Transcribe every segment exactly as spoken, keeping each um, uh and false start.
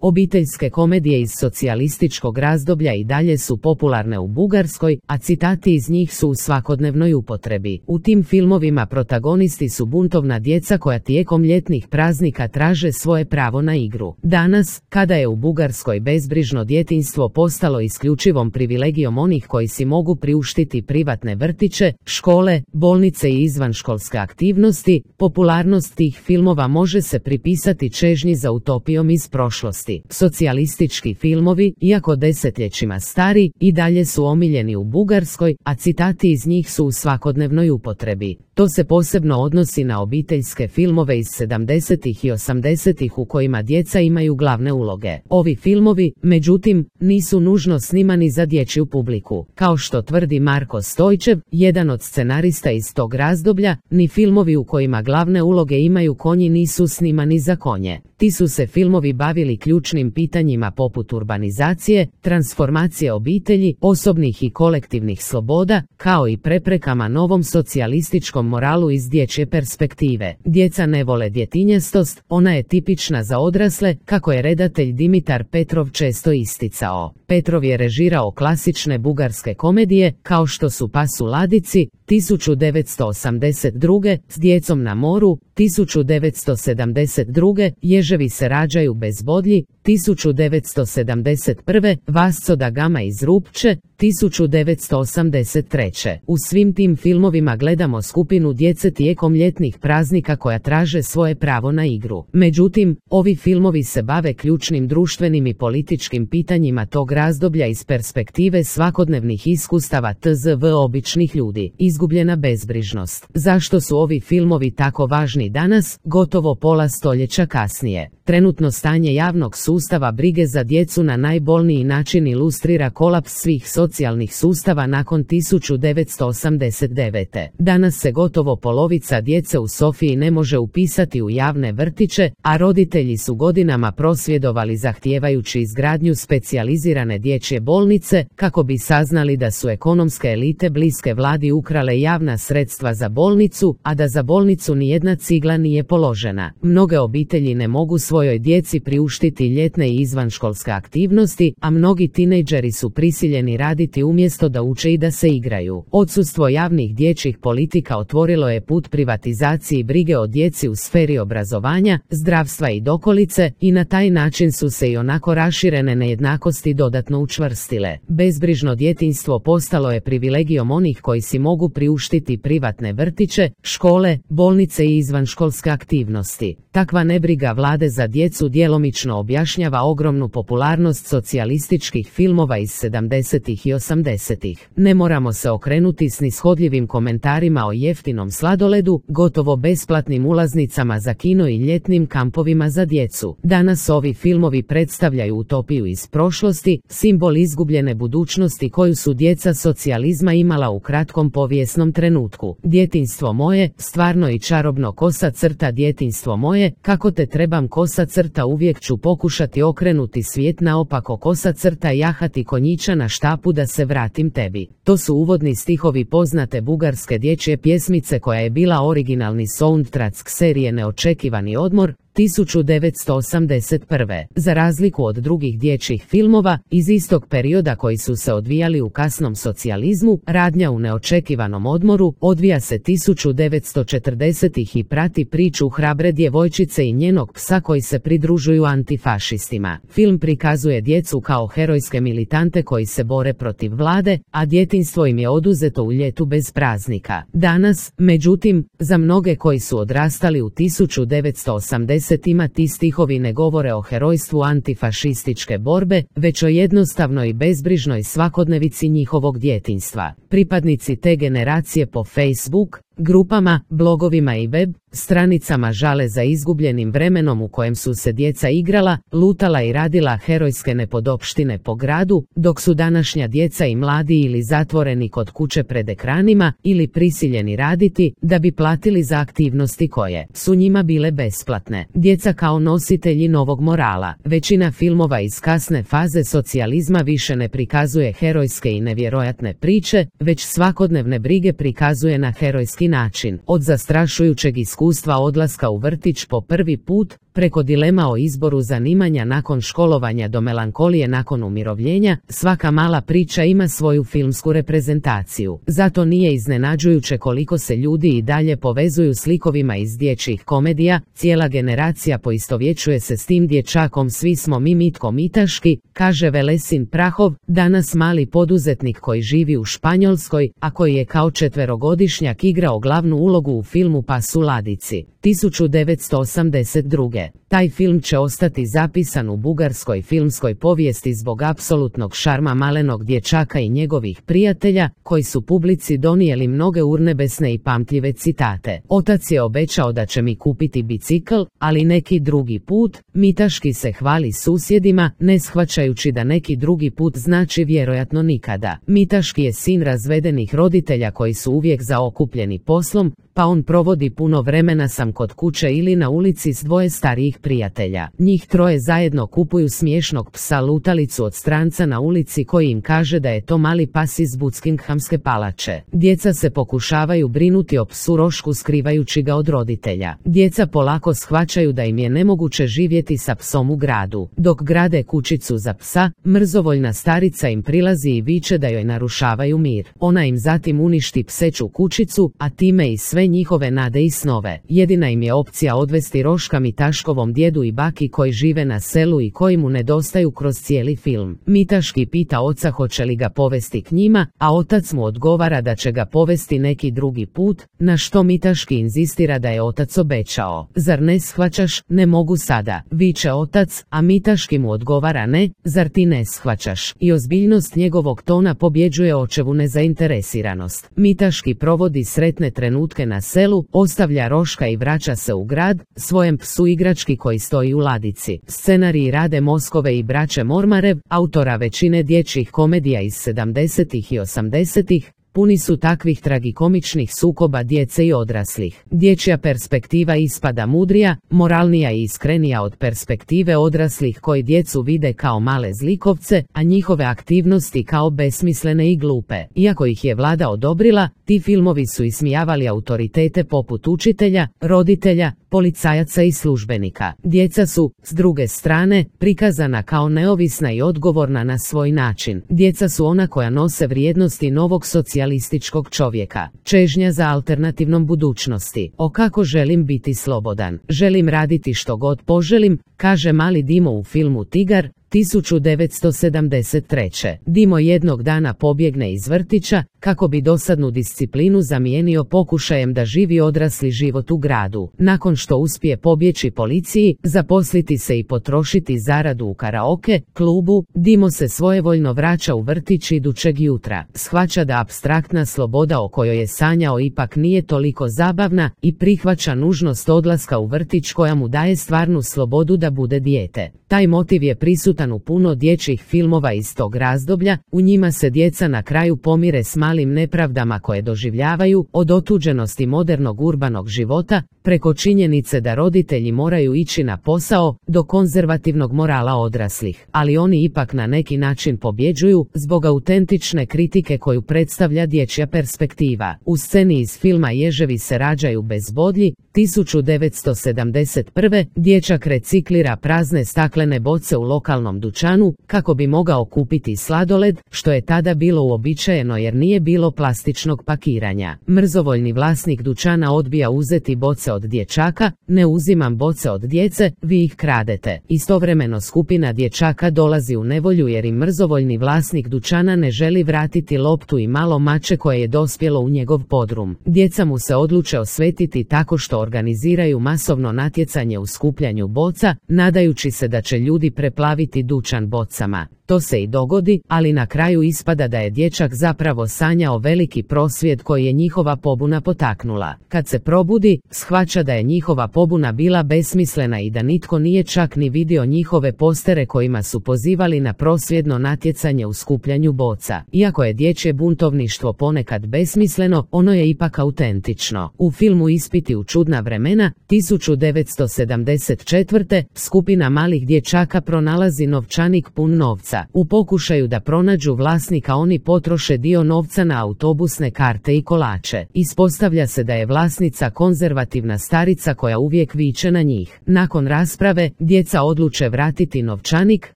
Obiteljske komedije iz socijalističkog razdoblja i dalje su popularne u Bugarskoj, a citati iz njih su u svakodnevnoj upotrebi. U tim filmovima protagonisti su buntovna djeca koja tijekom ljetnih praznika traže svoje pravo na igru. Danas, kada je u Bugarskoj bezbrižno djetinjstvo postalo isključivom privilegijom onih koji si mogu priuštiti privatne vrtiće, škole, bolnice i izvanškolske aktivnosti, popularnost tih filmova može se pripisati čežnji za utopijom iz prošlosti. Socijalistički filmovi, iako desetljećima stari, i dalje su omiljeni u Bugarskoj, a citati iz njih su u svakodnevnoj upotrebi. To se posebno odnosi na obiteljske filmove iz sedamdesetih i osamdesetih u kojima djeca imaju glavne uloge. Ovi filmovi, međutim, nisu nužno snimani za dječju publiku. Kao što tvrdi Marko Stojčev, jedan od scenarista iz tog razdoblja, ni filmovi u kojima glavne uloge imaju konji nisu snimani za konje. Ti su se filmovi bavili ključnim pitanjima poput urbanizacije, transformacije obitelji, osobnih i kolektivnih sloboda, kao i preprekama novom socijalističkom moralu iz dječje perspektive. Djeca ne vole djetinjastost, ona je tipična za odrasle, kako je redatelj Dimitar Petrov često isticao. Petrov je režirao klasične bugarske komedije, kao što su Pas u ladici, tisuću devetsto osamdeset druge, S djecom na moru, tisuću devetsto sedamdeset druge, Ježevi se rađaju bez bodlji, tisuću devetsto sedamdeset prve, Vasco da Gama iz Rupče, tisuću devetsto osamdeset treće. U svim tim filmovima gledamo skupinu djece tijekom ljetnih praznika koja traže svoje pravo na igru. Međutim, ovi filmovi se bave ključnim društvenim i političkim pitanjima tog razdoblja iz perspektive svakodnevnih iskustava tzv. Običnih ljudi. Izgubljena bezbrižnost. Zašto su ovi filmovi tako važni danas, gotovo pola stoljeća kasnije? Trenutno stanje javnog sustava brige za djecu na najbolniji način ilustrira kolaps svih socijalnih sustava nakon tisuću devetsto osamdeset devete. Danas se gotovo polovica djece u Sofiji ne može upisati u javne vrtiće, a roditelji su godinama prosvjedovali zahtijevajući izgradnju specijalizirane dječje bolnice, kako bi saznali da su ekonomske elite bliske vladi ukrale javna sredstva za bolnicu, a da za bolnicu nijedna cigla nije položena. Mnoge obitelji ne mogu svojoj djeci priuštiti ljetne i izvanškolske aktivnosti, a mnogi tinejdžeri su prisiljeni raditi umjesto da uče i da se igraju. Odsustvo javnih dječjih politika otvorilo je put privatizaciji brige o djeci u sferi obrazovanja, zdravstva i dokolice, i na taj način su se i onako raširene nejednakosti dodatno učvrstile. Bezbrižno djetinjstvo postalo je privilegijom onih koji si mogu priuštiti privatne vrtiće, škole, bolnice i izvanškolske aktivnosti. Takva nebriga vlade za djecu djelomično objašnjava ogromnu popularnost socijalističkih filmova iz sedamdesetih i osamdesetih. Ne moramo se okrenuti snishodljivim komentarima o jeftinom sladoledu, gotovo besplatnim ulaznicama za kino i ljetnim kampovima za djecu. Danas ovi filmovi predstavljaju utopiju iz prošlosti, simbol izgubljene budućnosti koju su djeca socijalizma imala u kratkom povijesnom trenutku. Djetinjstvo moje, stvarno i čarobno, kosa crta djetinjstvo moje, kako te trebam kosa crta, uvijek ću pokušati okrenuti svijet naopako, kosa crta, jahati konjića na štapu da se vratim tebi. To su uvodni stihovi poznate bugarske dječje pjesmice koja je bila originalni soundtrack serije Neočekivani odmor, tisuću devetsto osamdeset prve. Za razliku od drugih dječjih filmova iz istog perioda koji su se odvijali u kasnom socijalizmu, Radnja u neočekivanom odmoru odvija se tisuću devetsto četrdesetih i prati priču hrabre djevojčice i njenog psa koji se pridružuju antifašistima. Film prikazuje djecu kao herojske militante koji se bore protiv vlade, a djetinjstvo im je oduzeto u ljetu bez praznika. Danas, međutim, za mnoge koji su odrastali u tisuću devetsto osamdesetima ti stihovi ne govore o herojstvu antifašističke borbe, već o jednostavnoj i bezbrižnoj svakodnevici njihovog djetinjstva. Pripadnici te generacije po Facebook grupama, blogovima i web stranicama žale za izgubljenim vremenom u kojem su se djeca igrala, lutala i radila herojske nepodopštine po gradu, dok su današnja djeca i mladi ili zatvoreni kod kuće pred ekranima ili prisiljeni raditi da bi platili za aktivnosti koje su njima bile besplatne. Djeca kao nositelji novog morala. Većina filmova iz kasne faze socijalizma više ne prikazuje herojske i nevjerojatne priče, već svakodnevne brige prikazuje na herojski način. Od zastrašujućeg iskustva odlaska u vrtić po prvi put, Preko dilema o izboru zanimanja nakon školovanja do melankolije nakon umirovljenja, svaka mala priča ima svoju filmsku reprezentaciju. Zato nije iznenađujuće koliko se ljudi i dalje povezuju s likovima iz dječjih komedija, cijela generacija poistovjećuje se s tim dječakom, svi smo mi Mitko Mitaški, kaže Velesin Prahov, danas mali poduzetnik koji živi u Španjolskoj, a koji je kao četverogodišnjak igrao glavnu ulogu u filmu Pas u ladici. tisuću devetsto osamdeset druge. Taj film će ostati zapisan u bugarskoj filmskoj povijesti zbog apsolutnog šarma malenog dječaka i njegovih prijatelja, koji su publici donijeli mnoge urnebesne i pamtljive citate. Otac je obećao da će mi kupiti bicikl, ali neki drugi put. Mitaški se hvali susjedima, ne shvaćajući da neki drugi put znači vjerojatno nikada. Mitaški je sin razvedenih roditelja koji su uvijek zaokupljeni poslom, pa on provodi puno vremena sam kod kuće ili na ulici s dvoje starijih prijatelja. Njih troje zajedno kupuju smiješnog psa lutalicu od stranca na ulici koji im kaže da je to mali pas iz Buckinghamske palače. Djeca se pokušavaju brinuti o psu Rošku skrivajući ga od roditelja. Djeca polako shvaćaju da im je nemoguće živjeti sa psom u gradu. Dok grade kućicu za psa, mrzovoljna starica im prilazi i viče da joj narušavaju mir. Ona im zatim uništi pseću kućicu, a time i sve njihove nade i snove. Jedina im je opcija odvesti Roška Mitaškovom djedu i baki koji žive na selu i koji mu nedostaju kroz cijeli film. Mitaški pita oca hoće li ga povesti k njima, a otac mu odgovara da će ga povesti neki drugi put, na što Mitaški inzistira da je otac obećao. Zar ne shvaćaš, ne mogu sada, viče otac, a Mitaški mu odgovara ne, zar ti ne shvaćaš? I ozbiljnost njegovog tona pobjeđuje očevu nezainteresiranost. Mitaški provodi sretne trenutke na selu, ostavlja Roška i vraća se u grad, svojem psu igrački koji stoji u ladici. Scenariji Rade Moskove i braće Mormarev, autora većine dječjih komedija iz sedamdesetih i osamdesetih, puni su takvih tragikomičnih sukoba djece i odraslih. Dječja perspektiva ispada mudrija, moralnija i iskrenija od perspektive odraslih koji djecu vide kao male zlikovce, a njihove aktivnosti kao besmislene i glupe. Iako ih je vlada odobrila, ti filmovi su ismijavali autoritete poput učitelja, roditelja, policajaca i službenika. Djeca su, s druge strane, prikazana kao neovisna i odgovorna na svoj način. Djeca su ona koja nose vrijednosti novog socijalističkog čovjeka. Čežnja za alternativnom budućnosti. O kako želim biti slobodan. Želim raditi što god poželim, kaže mali Dimo u filmu Tigar, tisuću devetsto sedamdeset treće. Dimo jednog dana pobjegne iz vrtića, kako bi dosadnu disciplinu zamijenio pokušajem da živi odrasli život u gradu. Nakon što uspije pobjeći policiji, zaposliti se i potrošiti zaradu u karaoke klubu, Dimo se svojevoljno vraća u vrtić idućeg jutra. Shvaća da apstraktna sloboda o kojoj je sanjao ipak nije toliko zabavna i prihvaća nužnost odlaska u vrtić koja mu daje stvarnu slobodu da bude dijete. Taj motiv je prisutan u puno dječjih filmova iz tog razdoblja, u njima se djeca na kraju pomire s malim nepravdama koje doživljavaju, od otuđenosti modernog urbanog života, preko činjenice da roditelji moraju ići na posao, do konzervativnog morala odraslih. Ali oni ipak na neki način pobjeđuju, zbog autentične kritike koju predstavlja dječja perspektiva. U sceni iz filma Ježevi se rađaju bez bodlji, tisuću devetsto sedamdeset prve. dječak reciklira prazne staklene boce u lokalnom dućanu, kako bi mogao kupiti sladoled, što je tada bilo uobičajeno jer nije bilo plastičnog pakiranja. Mrzovoljni vlasnik dućana odbija uzeti boce od dječaka, ne uzimam boce od djece, vi ih kradete. Istovremeno skupina dječaka dolazi u nevolju jer im mrzovoljni vlasnik dućana ne želi vratiti loptu i malo mače koje je dospjelo u njegov podrum. Djeca mu se odluče osvetiti tako što organiziraju masovno natjecanje u skupljanju boca, nadajući se da će ljudi preplaviti dućan bocama. To se i dogodi, ali na kraju ispada da je dječak zapravo sanjao veliki prosvjed koji je njihova pobuna potaknula. Kad se probudi, shvaća da je njihova pobuna bila besmislena i da nitko nije čak ni vidio njihove postere kojima su pozivali na prosvjedno natjecanje u skupljanju boca. Iako je dječje buntovništvo ponekad besmisleno, ono je ipak autentično. U filmu Ispiti u čudna vremena, tisuću devetsto sedamdeset četvrte. skupina malih dječaka pronalazi novčanik pun novca. novca. U pokušaju da pronađu vlasnika oni potroše dio novca na autobusne karte i kolače. Ispostavlja se da je vlasnica konzervativna starica koja uvijek viče na njih. Nakon rasprave, djeca odluče vratiti novčanik,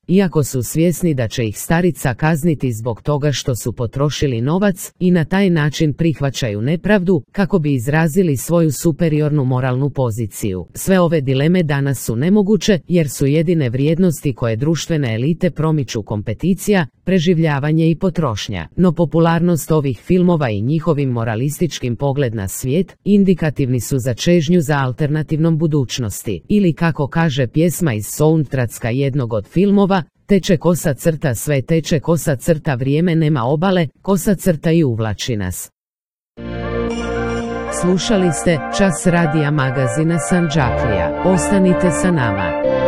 iako su svjesni da će ih starica kazniti zbog toga što su potrošili novac, i na taj način prihvaćaju nepravdu, kako bi izrazili svoju superiornu moralnu poziciju. Sve ove dileme danas su nemoguće, jer su jedine vrijednosti koje društvene elite promiču kompeticija, preživljavanje i potrošnja. No popularnost ovih filmova i njihovim moralističkim pogled na svijet indikativni su za čežnju za alternativnom budućnosti. Ili kako kaže pjesma iz soundtracka jednog od filmova, teče kosa crta sve teče kosa crta vrijeme nema obale, kosa crta i uvlači nas. Slušali ste Čas radija magazina Sandžaklija. Ostanite sa nama.